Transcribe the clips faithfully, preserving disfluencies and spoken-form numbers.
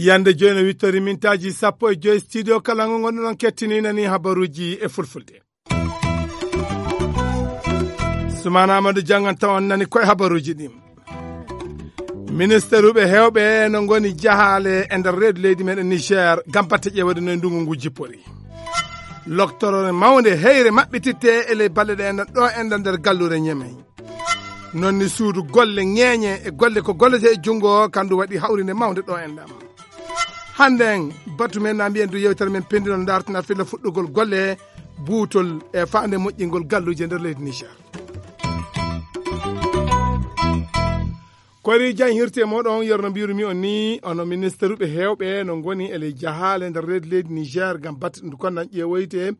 Yande joyi no wittori mintaaji sappo e joyi studio kala ngo ngonɗon kettini nani habaruuji e fulfulde. Sumana Amadou Jangan tawon nani koye habaruuji ɗin. Ministeruɓe heewɓe no ngoni jahaale e nder reedu leydi meɗen Niger gam batte ƴeewede no e ndungu ngu jippori. Loktorore mawnde heyre maɓɓititte e ley balɗe ɗe enɗan ɗo enɗan nder gallure Ñemey. Non ni suudu golle ŋeeñe e golle ko gollete e junngo kandu waɗi hawrinde mawnde ɗo enɗan. Hannde en batu men na mbiyen du yewtere men pendinol dartina filla fuɗɗugol golle buutol e faande moƴƴingol galluje nder leydi Niger. Kori jan hirte moɗon yerno mbirumi on ni ono ministeruɓe heewɓe no ngoni e ley jahaale nder reedu leydi Niger ngam batte ɗum ko nan ƴeewoyte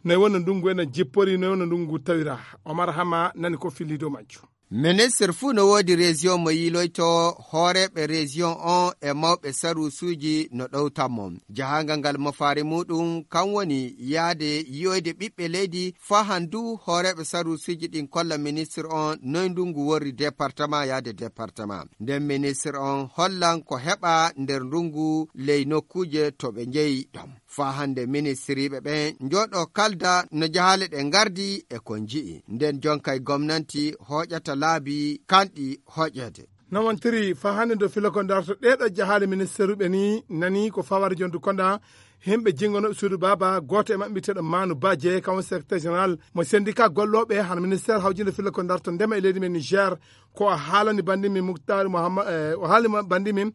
noy wonno ndungu ena jippori noy wonno ndungu tawira. Omar Hama nani ko filli dow majjum. Ministre fuu no woodi région mo yiiloyto hooreeɓe région on e mawɓe saruusuuji no ɗowtan mo. Jahaangal ngal mafaari muuɗum kan woni yahde yi'oyde ɓiɓɓe leydi faa han du hooreeɓe saruusuuji ɗin kolla ministre on noy ndungu worri département yahde département. Nden ministre on hollan ko heɓa nder ndungu ley nokkuuje to ɓe njeyi ɗon. Faa hannde ministiriiɓe ɓen njooɗoo kalda no jahaale ɗe ngardi e ko nji'i. Nden jonkay gomnanti hooƴata laabi kanɗi hooƴeede. No wontiri faa hannde ndo filo ko ndarto ɗeeɗo jahaale ministeruɓe ni nani ko fawade jondu konda himɓe jingonoɓe suudu baaba gooto e maɓɓe mbiyeteeɗo Manu Baje kawon secrétaire général mo syndicat gollooɓe hano ministère hawjinde filo ko ndarto ndema e leydi men Niger. Ko o haalani bandi min Muktar Muhammad, eh, o haalani bandi min,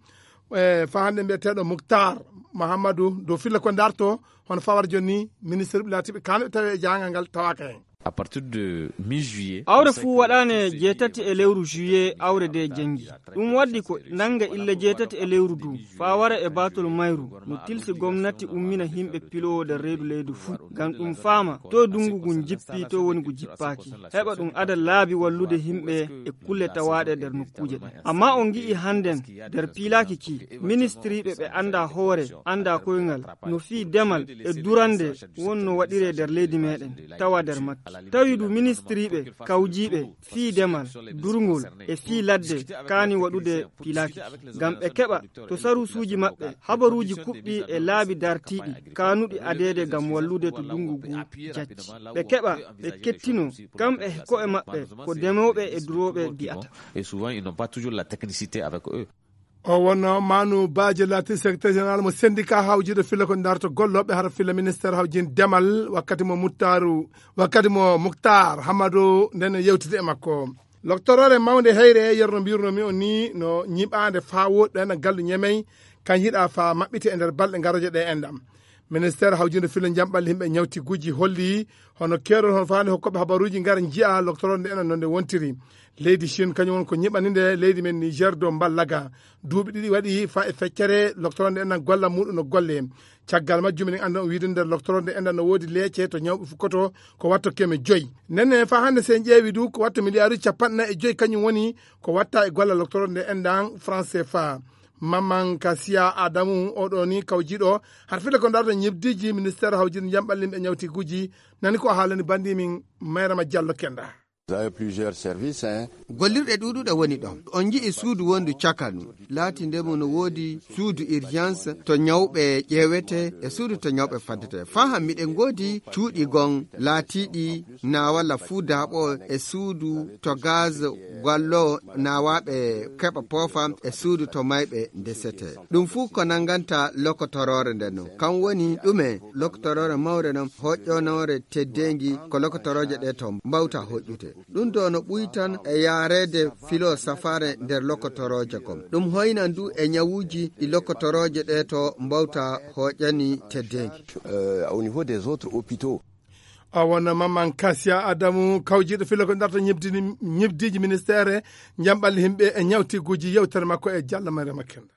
eh, fa hannde mbiyeteeɗo Muktar Muhammadu dow filla ko ndarto hono fawar jonni ministre ɓe laatiɓe kano ɓe tawi e jahangal ngal tawaka hen. À partir de mi juillet awre fuu waɗaane jeetati e lewru juillet awre de jangi. Ɗum waddi ko nannga illa jeetati e lewru du faa wara e baatol mayru no tilsi gomnati ummina himɓe piloowo nder reedu leydi fuu ngam ɗum faama to dunngu ngun jippi to woni ngu jippaaki. Heɓa ɗum ada laabi wallude himɓe e kulle tawaaɗe nder nokkuuje ɗen. Amma on ngi'i hannden nder piilaaki ki ministiriiɓe ɓe anndaa hoore anndaa koyngal no fii demal e durande wonno waɗiree nder leydi meeɗen tawa nder makki tawi du ministiriiɓe kawjiiɓe fii demal durngol e fii ladde kaani waɗude piilaaki ngam ɓe keɓa to saruusuuji maɓɓe habaruuji kuɓɓi e laabi dartiiɗi kaanuɗi adeede ngam wallude to dunngu ngu jacci ɓe keɓa ɓe kettino kamɓe ko'e maɓɓe ko demooɓe e durooɓe mbi'ata. Et souvent ils n'ont pas toujours la technicité avec eux. O wonno Manu Baje laati secrétaire général mo syndicat hawjiiɗo filla ko ndarto gollooɓe hara filla ministère hawjiin demal wakkati mo muttaru wakkati mo muktar hamadu nden yewtide e makko. Loktorore mawnde heyre yerno mbirnomi o ni no ñiɓaande faa woɗɗana gallu ñemey kan yiɗa faa maɓɓite e nder balɗe garoje ɗe enɗam. Ministère hawjinde filo jamɓal yimɓe ñawtiguji holli hono keerol hono faani hokkoɓe habaruji ngara njiya loktorode enen nonde wontiri. Leydi Chine kañum won ko ñiɓani nde leydi men Niger dow mballaga. Duuɓi ɗiɗi waɗi fa e feccere loktorode enen golla muɗum no golle. Caggal majjum en andan o wiide nder loktorode enen no woodi leece to ñawɓe fukkoto ko watto keme joyi. Nenne fa hannde sen ƴeewi du ko watto miliyaaruji capanɗe nayi e joyi kañum woni ko watta e golla loktorode enɗan France fa. Maman Kasiya Adamu oɗo ni kawjiɗo har fila ko darta ñibdiji ministère hawjin jamɓallim e ñawtiguji. Nani ko haalani bandi min mayrama Diallo Kenda. Vous avez plusieurs services, hein. Gollirɗe ɗuɗuɗe woni ɗon. On nji'i suudu wondu cakanu. Laati ndemu no woodi suudu urgence to ñawɓe ƴeewete e suudu to ñawɓe faddete. Faa han miɗen ngoodi cuuɗi gon laatiiɗi na walla fuu daaɓo e suudu to gaz gwallo na waaɓe keɓa poofa e suudu to mayɓe ndesete. Ɗum fuu ko nannganta lokotoroore nden non. Kan woni ɗume lokotoroore mawre non hoƴƴonoore teddeengi ko lokotorooje ɗe to mbawta hoƴƴude. Ɗum ɗo no ɓuy tan e yaareede filo safaare nder lokotorooje kon. Ɗum hoynan du e ñawuuji ɗi lokotorooje ɗe to mbawta hoƴƴani teddeengi. Euh, au niveau des autres hôpitaux. O wonno Maman Kasiya Adamu kawjiiɗo filo ko darta ñibdini ñibdiiji ministeere jamɓalli yimɓe e ñawtiguuji yewtere makko e Diallo Mariama Kenda.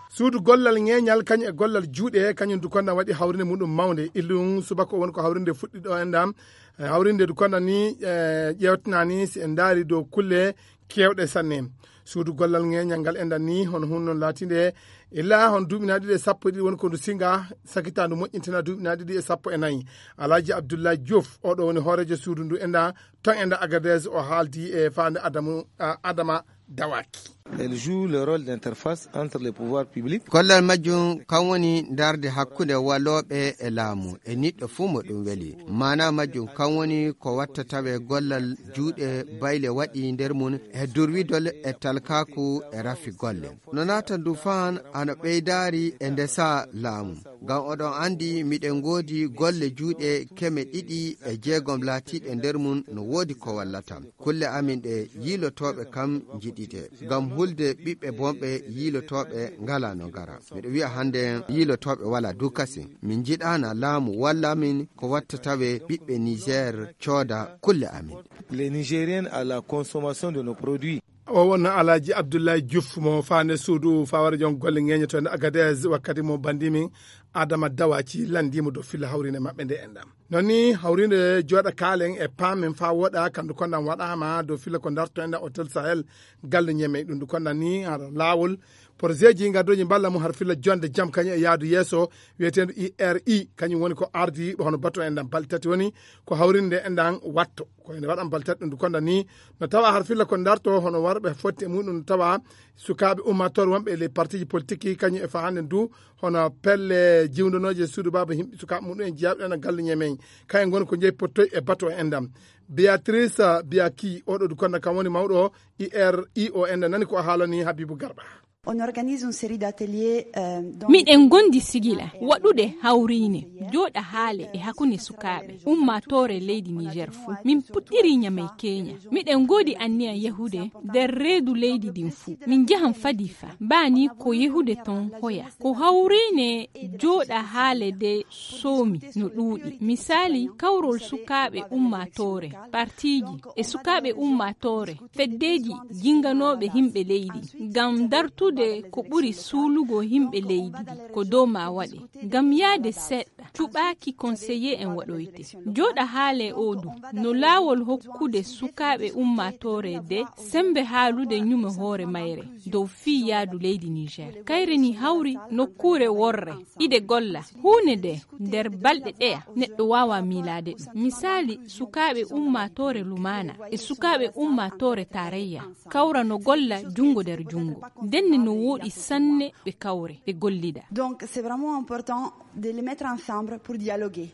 Suudu gollal ŋeeñal kañum e gollal juuɗe kañum du konda waɗi hawrinde muɗum mawnde illum subaka o woni ko hawrinde fuɗɗi ɗo enɗam. E hawrinde du konda ni e ƴeewtinani si en ndaari dow kulle keewɗe sanne. Suudu gollal ŋeeñal ngal enɗan ni hono hunno laatinde illa hono duuɓi na ɗiɗi e sappo e ɗiɗi woni ko ndu singa, sakita ndu moƴƴintina duuɓi na ɗiɗi e sappo e nayi. Alaaji Abdullahi Diouf, oɗo woni hooreejo suudu ndu enɗan ton enɗan Agadez, o haaldi e faande Adamu, a, Adama Dawaki. Elle joue le rôle d'interface entre les pouvoirs publics. Gollal majjum kan woni darde hakkunde walooɓe e laamu e niɗɗo fuu mo ɗum weli. Maana majjum kan woni ko watta tawe gollal juuɗe bayle waɗi nder mum e durwidol e talkaaku e rafi golle. No naata ndu faan ana ɓeydaari e ndesa laamu. Ngam oɗon anndi miɗen ngoodi golle juuɗe keme ɗiɗi e jeegom laatiiɗe nder mum no woodi ko wallata. Kulle amin ɗe yiilotooɓe kam njiɗi ɗe. Ngam hulde ɓiɓɓe bonɓe yiilotooɓe ngala no ngara. Miɗo wi'a hannde yiilotooɓe wala du kasin. Min njiɗaana laamu walla min ko watta tawe ɓiɓɓe Niger cooda kulle amin. Les Nigériens à la consommation de nos produits. O wonno Alaaji Abdullahi Diouf mo faande suudu fawara jon golle ŋeeñotoonde Agadez, wakkati mo banndi min Adama Dawaci lanndii mo dow filla hawriinde maɓɓe nde enɗam. Non ni hawriinde jooɗa kaalen e paamen faa woɗa, kandu kondan waɗaama dow filla ko darto enɗam Hotel Sahel, galle Ñemey. Ɗum ndu kondan ni hara laawol, porosieji ngaddoji mballa mum har filla jonde jam kañum e yaadu yeeso, wiyeteendu I R I, kañum woni ko ardi hono bato enɗam balɗe tati woni ko hawriinde enɗam watto. Ko ene waɗan baltat ɗum ndu konda ni no tawa har filla ko darto hono warɓe fotti e muɗum no tawa sukaaɓe ummator wonɓe e ley partiji politique kañum e fahande ndu hono pelle jiwdanoje suudu baaba yimɓe sukaaɓe muɗum en jeyaaɓe ɗen e galle Ñemey. Kayen ngoni ko jeyi pottoy e bato en enɗam. Beatrice Biaki, oɗo du konda kam woni mawɗo I R I O enɗam, nani ko a haalani Habibu Garba. On organise une série d'ateliers, euh, dans miɗen ngondi sigila waɗude hawriine jooɗa haale e hakkunde sukaaɓe ummaatoore leydi Niger fuu. Min puɗɗiri Ñamey Keña. Miɗen ngoodi anniya yahude nder reedu leydi ndin fuu. Min njahan Fadifa. Baa ni ko yahude ton hoya. Ko hawriine jooɗa haale de soomi no ɗuuɗi. Misaali, kawrol sukaaɓe ummaatoore, partiiji e sukaaɓe ummaatoore, feddeeji jinganooɓe yimɓe leydi, ngam dartude ko ɓuri suulugo yimɓe leydi ndi, ko dow maa waɗe. Ngam yahde seeɗa, cuɓaaki konseye en waɗoyte. Jooɗa haale oo du, no laawol hokkude sukaaɓe ummaatoore de sembe haalude ñume hoore mayre dow fii yaadu leydi Niger. Kayre ni hawri nokkuure worre, ide golla, huune de nder balɗe ɗeya, neɗɗo waawa miilaade ɗum. Misaali, sukaaɓe ummaatoore Lumaana e sukaaɓe ummaatoore Tarayya kawra no golla junngo nder junngo. Ndenne no wooɗi sanne ɓe kawre, ɓe gollida. Donc, c'est vraiment important de les mettre ensemble pour dialoguer.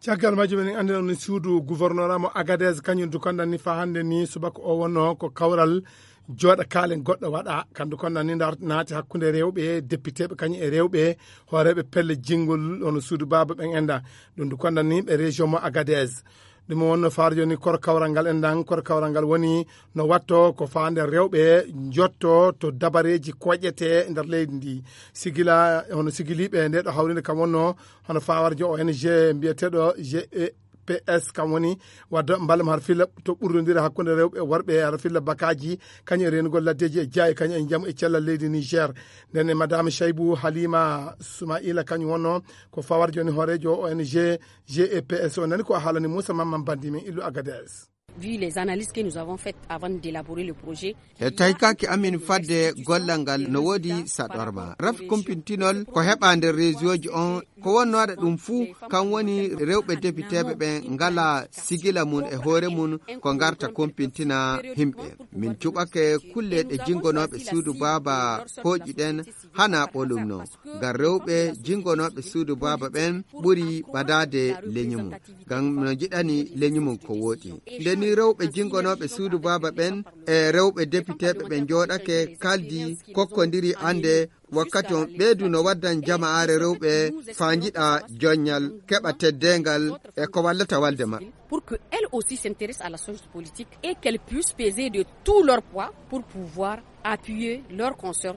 Caggal majjum en anndina on suudu gouvernorat mo Agadez, kañum du kondan ni faa hannde ni subaka o wonno ko kawral jooɗa kaalen goɗɗo waɗa, kandu kondan ni ndar naati hakkunde rewɓe depiteeɓe kañum e rewɓe hooreeɓe pelle jinngol hono suudu baaba ɓen enda. Ɗum du kondan ni ɓe région mo Agadez. Ɗum wonno faaro jooni koro kawral ngal endan, koro kawral ngal woni no watto ko faande rewɓe njotto to dabareeji koƴete nder leydi ndi. Sigila, hono sigiliiɓe nde ɗo hawrinde kam wonno hono fawarjo O N G mbiyeteeɗo G E P S, kam woni wadda mbalam har filla to ɓurdondira hakkunde rewɓe e worɓe, har filla bakaaji, kañum e reenugol laddeeji e jaayi, kañum e njamu e cellal leydi Niger. Nden e Madame Shaibou Halima Soumaila, kañum wonno ko fawarjo ni hooreejo O N G G E P S. O nani ko a haalani Moussa Mamman Bandi men illu Agadez. Vu les analyses que nous avons faites avant d'élaborer le projet, e taykaki amin fadde gollal ngal no woodi saɗorma. Raf kumpintinol ko heɓa nder réseauji on, ko wonno waɗa ɗum fuu, kan woni rewɓe depiteeɓe ɓen ngala sigila mum e hoore mum ko ngarta kumpintina himɓe. Min cuɓake kulle ɗe jingonooɓe suudu baaba hooƴi ɗen hana ɓolum no. Ngam rewɓe jingonooɓe suudu baaba ɓen ɓuri ɓadaade leñi mum. Ngam no njiɗani leñi mum ko wooɗi. Nde ni rewɓe jingonooɓe suudu baaba ɓen e rewɓe depiteeɓe ɓe njooɗake kaldi kokkondiri annde wakkati on ɓeydu no waddan jama'aare rewɓe faa njiɗa joññal, keɓa teddeengal e ko wallata walde maɓɓe. Pour que elles aussi s'intéressent à la chose politique et qu'elles puissent peser de tout leur poids pour pouvoir appuyer leurs consoeurs.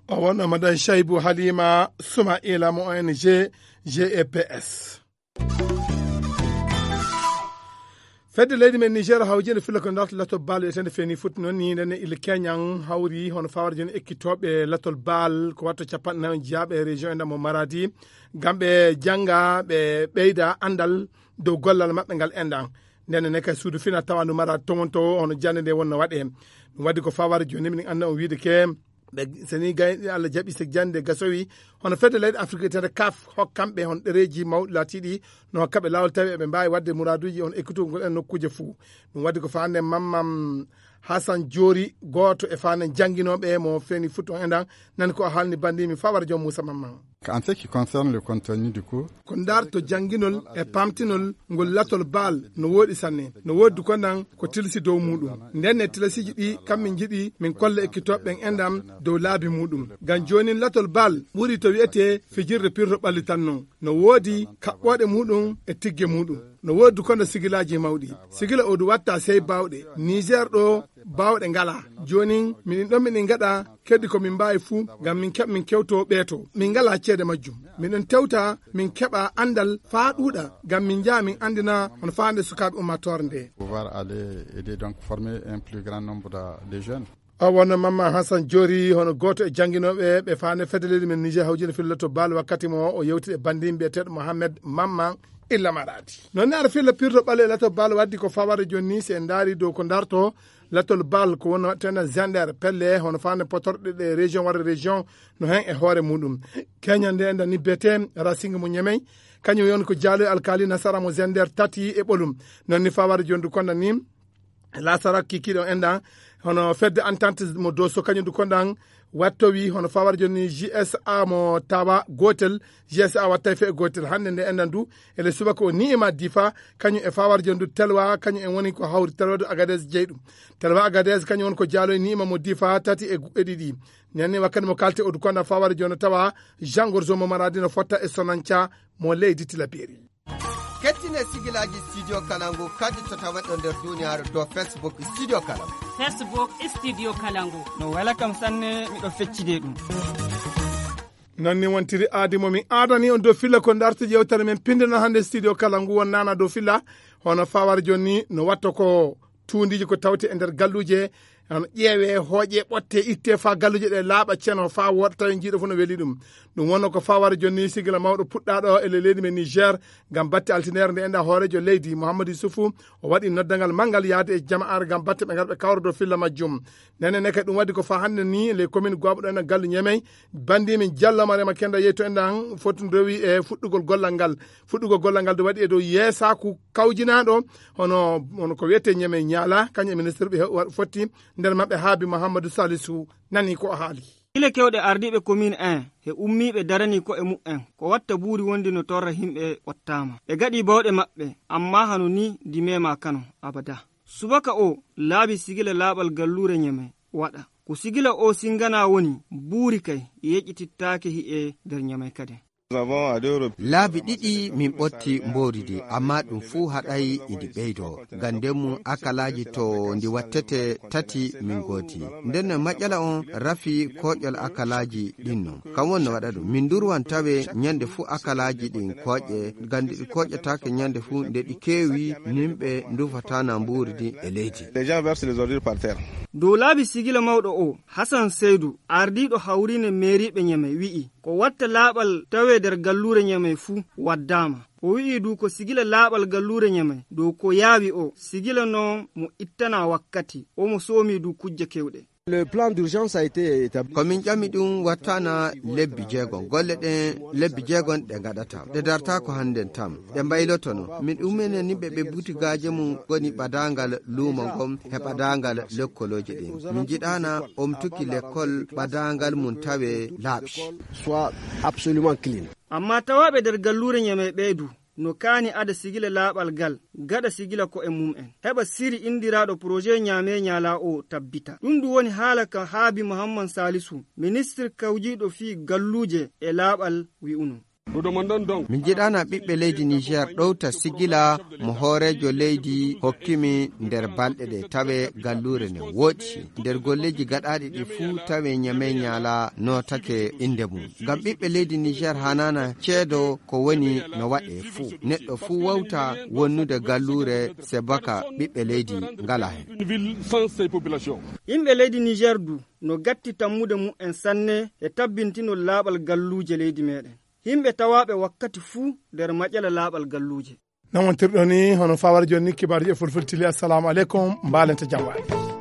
O wonno Madame Shaibou Halima Soumaila mo O N G G E P S. Fedde leydi men Niger hawjinde filla ko darta latol baal wiyetende Feni Foot, noon ni ndenne ille keñan hawri hono fawar jooni ekkitooɓe latol baal ko watta capanɗe nayo jiyaaɓe e région e ndamo Maradi ngam ɓe jannga, ɓe ɓeyda anndal dow gollal maɓɓe ngal enɗan. Nden ne kay suudu fina tawandu mara tomonto o hono jannde nde wonno waɗe. Ɗum waɗi ko fawara jooni minen annda on wiide ke ɓe seni gayɗe Allah jaɓi se jannde gasowi hono fedde leyɗe Afrique tede kaf hokkamɓe hon ɗereji mawɗi laatiɗi no hokkaɓe laawol tawi eɓe mbaawi waɗde muraaduuji on ekkitugol en nokkuuje fuu. Ɗum waɗi ko faande mammam Hasan Joori gooto e faande jannginooɓe mo feeni fuɗɗo enɗan nani ko o haalni banndi mi fawara joom Muusa Mamman. En ce qui concerne le contenu du cours, ko ndaarto jannginol e pamtinol ngol latol baal no wooɗi sanne. No woodi ko nan ko tilsi dow muuɗum. Nden e tilasiiji ɗi kam min njiɗi min kolla ekkitooɓe ɓen enɗam dow laabi muuɗum. Ngam joonin latol baal ɓuri to wi'etee fijirde pirro ɓalli tan non. No woodi kaɓɓooɗe muuɗum e tigge muuɗum. No woodi kono sigilaaji mawɗi. Sigila o du watta sey baawɗe. Niger ɗo baawɗe ngala. Joonin miɗin ɗon miɗin ngaɗa keddi ko min mbaawi fuu ngam min keɓ min kewto ɓeeto. Min ngala ceede majjum. Miɗon tewta min keɓa anndal faa ɗuuɗa ngam min njaha min anndina hono faande sukaaɓe ummaatoore nde. Pouvoir aller aider donc former un plus grand nombre de, de jeunes. O wonno Mamma Hassan Joori hono gooto e jannginooɓe ɓe faande fedde leydi men Niger hawjino filla to baal wakkati mo o yewti e banndin biyeteeɗo Mohamed Mamma Illa Maradi. Noon ne ara filla pirto ɓale e lato baal waddi ko fawara jooni ni se en ndaari dow ko ndarto latol baal ko wonno waɗtena gender pelle hono faande potorɗe ɗe région walla région no heen e hoore muɗum. Keña nde enda ni bete Racing mo Ñemey kañum yon ko jaalo e alkaali nasara mo gender tati e ɓolum. Noon ni fawara jooni du konda ni Lasarak kikiiɗo enɗan hono fedde entente mo doso kañum du konɗan wattowi hono fawar joni G S A mo tawa gotel. G S A wattay fe gotel hannde nde enɗan du ele subaka o ni'ima difa kañum e fawar joni du telwa kañum en woni ko hawri telwa du agades jeyɗum. Telwa agades kañum woni ko jaalo e ni'ima mo difa tati e gu- e ɗiɗi. Nenne wakkati mo kalte o du konɗan fawar joni tawa jangor jomo maradino fotta e sonanca mo leydi tilaberi. Kettine sigilaaji Studio Kalangu kadi to taweɗo nder duniyaaru dow Facebook Studio Kalangu. Facebook Studio Kalangu. No wela kam sanne, miɗo feccide ɗum. Noon ni wontiri aadi mo mi aadani on dow filla ko ndarti yewtere men pindana hannde Studio Kalangu won nana dow filla hono fawar joni no watto ko tuundiiji ko tawti e nder galluuje. Hono ƴeewe hooƴe ɓotte itte faa galluuje ɗe laaɓa ceno faa wooɗa tawi jiiɗo fof no weli ɗum. Ɗum wonno ko fawara jonni sigila mawɗo puɗɗaaɗo e ley leydi men Niger ngam batte altinere nde enda hoorejo leydi Mouhamadou Youssoufou. O waɗi noddangal manngal yaade e jama'aare ngam batte ɓe ngarɓe kawrodo filla majjum. Nene neke ɗum waɗi ko faa hannde ni ley commune gooɓo ɗo ena gallu ñemey. Banndi min jallo marema kenda yeyto enɗan foti rewi e fuɗɗugol gollal ngal. Fuɗɗugol gollal ngal ɗo waɗi e dow yeesaaku kawjinaaɗo hono hono ko wiyetee ñeme ñaala kañum e ministre ɓe wa- fotti nder maɓɓe haabi Mouhamadou Salisu nani ko o haali. Gila kewɗe ardiiɓe commune un he ummiiɓe darani ko e muɓɓen ko watta buuri wondi no torra himɓe wattaama ɓe gaɗi bawɗe maɓɓe. Amma hano ni di mema kano abada. Subaka o laabi sigila laaɓal galluure ñeme waɗa ko sigila o singana woni buuri kay yeƴƴitittaake hi'e nder ñame kaden. Laabi ɗiɗi min ɓotti mbooridi, amma ɗum fuu haɗay idi ɓeydo. Ngam nden mum akalaaji to ndi wattete tati min gooti. Nden no maƴƴala on rafi kooƴol akalaaji ɗin non. Kam won no waɗa ɗum. Min ndurwan tawe ñande fuu akalaaji ɗin kooƴe, ngam nde ɗi kooƴataake ñande fuu nde ɗi keewi nimɓe ndufataana mbooridi e leydi. Les gens versent les ordures par terre. Dow laabi sigila mawɗo o, Hasan Seydu, ardiiɗo hawriine meeriiɓe ñeme, wi'i, ko watta laaɓal tawee nder galluure ñamey fuu waddaama. O wi'i du ko sigila laaɓal galluure ñamey dow ko yaawi o, sigila noon mo ittanaa wakkati, omo soomi du kujje kewɗe. Le plan d'urgence a été établi. Ko min ƴami ɗum wattana lebbi jeegom. Golle ɗen lebbi jeegom ɗe ngaɗata. Ɗe darta ko hannden tam. Ɗe mbaylotono. Min ɗuminen ni ɓe ɓe butigaaji mum ngoni ɓadaangal luumo ngon he ɓadaangal lekkolooji ɗin. Min njiɗaana omtuki lekkol ɓadaangal mum tawe laaɓi. Soit absolument clean. Amma tawaaɓe nder galluure ñamey ɓee du, no kaani ada sigila laaɓal gal, gaɗa sigila ko'e mum'en. Heɓa siri inndiraaɗo projet ñaamee ñaalaa o tabbita. Ɗum ɗum woni haala ka Haabi Muhammad Saalisu, ministir kawjiiɗo fii galluuje e laaɓal wi'uno. Min njiɗaana ɓiɓɓe leydi Niger ɗowta sigila mo hooreejo leydi hokkimi nder balɗe ɗe tawe galluure ne woɗɗi. Nder golleeji gaɗaaɗi ɗi fuu tawe ñamee ñaala nootake innde mum. Ngam ɓiɓɓe leydi Niger hanaana ceedo ko woni no waɗe fuu. Neɗɗo fuu wawta wonnude galluure se baka ɓiɓɓe leydi ngala hen. Yimɓe leydi Niger du no gatti tammude mu'en sanne e tabbintinol laaɓal galluuje leydi meɗen. Yimɓe tawaaɓe wakkati fuu nder maƴala laaɓal galluuje. Nawontirɗo ni hono fawara joni ni kibaaruji e fulfulde tili. Assalamu aleykum, mbalente jam waali.